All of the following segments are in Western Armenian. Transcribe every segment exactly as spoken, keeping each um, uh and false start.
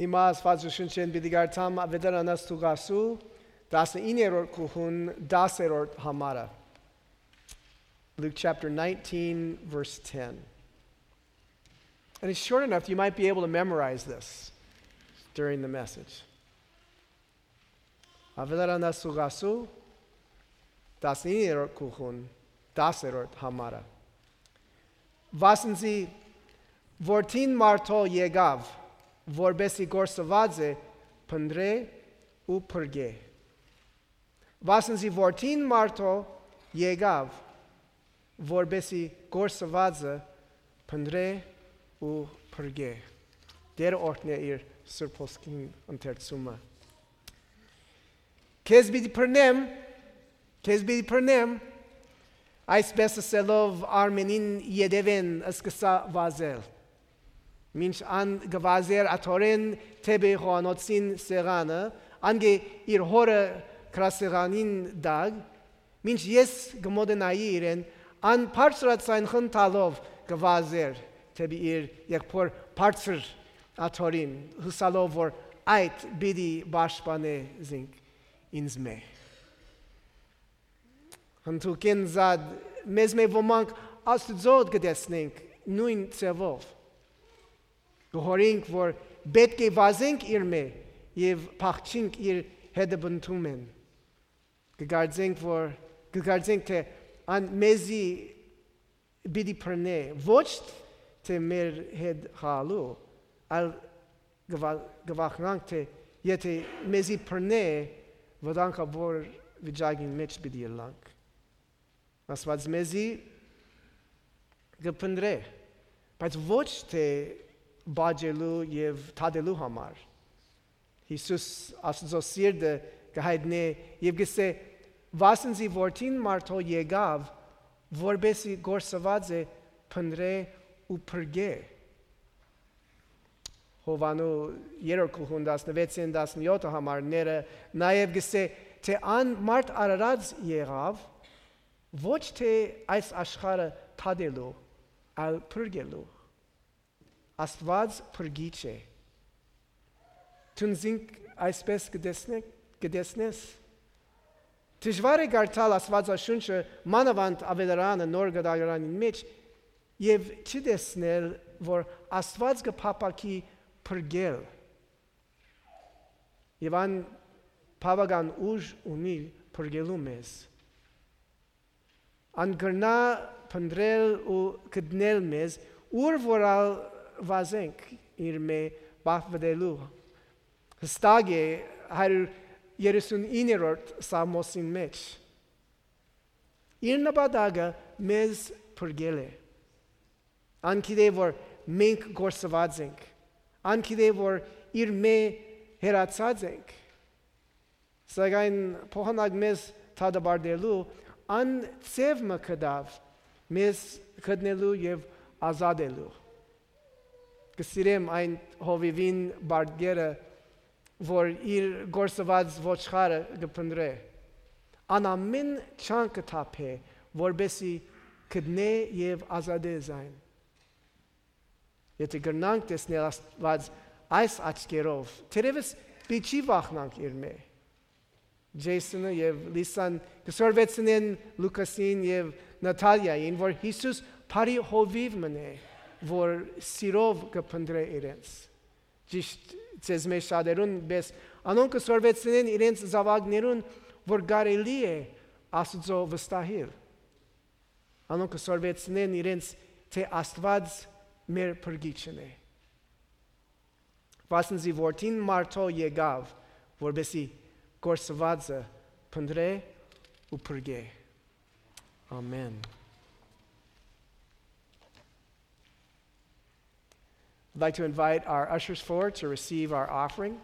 Հիմա Աստուածաշունչէն պիտի կարդամ Աւետարանաց Ղուկասու տասնիններորդ գլխուն տասներորդ համարը. Luke chapter nineteen, verse ten. And it's short enough, you might be able to memorize this during the message. Աւետարանաց Ղուկասու տասնիններորդ գլխուն տասներորդ համարը. Վասն զի Որդին մարդոյ եկաւ, որպէս զի կորսուածը փնտռէ ու փրկէ։ Վասն զի Որդին մարդոյ եկաւ, որպէս զի կորսուածը փնտռէ ու փրկէ։ Տէրը օրհնէ իր Սուրբ Հոգին ընթերցումը։ Քեզ պիտի բռնեմ, քեզ պիտի բռնեմ, այսպէս ըսելով Արմէնին ետեւէն սկսա վազել։ Մինչ ան կը վազէր աթոռէն դէպի խոհանոցին սեղանը, ան կը իր հօրը գրասեղանին տակ, մինչ ես կը մօտենայի իրեն, ան բարձրաձայն խնդալով կը վազէր դէպի իր եղբօր բարձր աթոռին, ըսելով որ այդ պիտի պաշտպանէ զինք ինձմէ։ Հնդուկեն զատ մեզմէ ոմանք Աստուծոյ կը տեսնենք նոյն ձեւով։ Կը յորինք որ պէտք է վազենք իրմէ եւ փախչինք իր հետապնդումէն։ Կը կարծենք որ, կը կարծենք թէ ան մեզի պիտի բռնէ, ոչ թէ մեր հետ խաղալու, այլ կը վա-, կը վախնանք թէ եթէ մեզի բռնէ, վտանգաւոր վիճակին մէջ պիտի ըլլանք։ Աստուած մեզի կը փնտռէ, բայց ոչ թէ բաճելու եւ թատելու համար։ Յիսուս Աստուծոյ սիրտը կը յայտնէ եւ կ'ըսէ. «Վասն զի Որդին մարդոյ եկաւ, որպէս զի կորսուածը փնտռէ ու փրկէ»։ Յովհաննէս երրորդ գլխուն տասնվեցէն տասնեօթ համարները նաեւ կ'ըսէ թէ ան մարդ արարած եղաւ, ոչ թէ այս աշխարհը թատելու, այլ փրկելու։ Աստուած փրկիչ է։ Դուն զինք այսպէս կը տեսնե-, կը տեսնես։ Դժուար է կարդալ Աստուածաշունչը, մանաւանդ Աւետարանը նոր կտակարանին մէջ, եւ չտեսնել որ Աստուած կը փափաքի փրկել։ Եւ ան բաւական ուժ ունի փրկելու մեզ։ Ան կրնայ փնտռել ու գտնել մեզ, ուր որ ալ վազենք իրմէ պահպանելու։ Յստակ է հարիւր երեսունիններորդ սաղմոսին մէջ։ Իր նպատակը մեզ փրկել է։ Ան գիտէ որ մենք կորսուած ենք։ Ան գիտէ որ իրմէ հեռացած ենք։ Սակայն փոխանակ մեզ դատապարտելու, ան ձեւ մը գտաւ մեզ գտնելու եւ ազատելու։ Կը սիրեմ այն հովիւին բարկերը, որ իր կորսուած ոչխարը կը փնտռէ։ Ան ամէն ջանք կը թափէ, որպէս զի գտնէ եւ ազատէ զայն։ Եթէ կրնանք տեսնել Աստուած այս աչքերով, թերեւս պիտի չի վախնանք իրմէ։ Ջեյսոնը եւ Լիսան կը սորվեցնեն Լուկասին եւ Նաթալիային, որ Յիսուս բարի հովիւ մըն է, որ սիրով կը փնտռէ իրենց։ Ճիշդ ձեզմէ շատերուն պէս, անոնք կը սորվեցնեն իրենց զաւակներուն, որ կարելի է Աստուծոյ վստահիլ։ Անոնք կը սորվեցնեն իրենց, թէ Աստուած մեր փրկիչն է։ Վասն զի Որդին մարդոյ եկաւ, որպէս զի կորսուածը փնտռէ ու փրկէ։ Ամէն։ I'd like to invite our ushers forward to receive our offering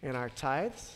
and our tithes.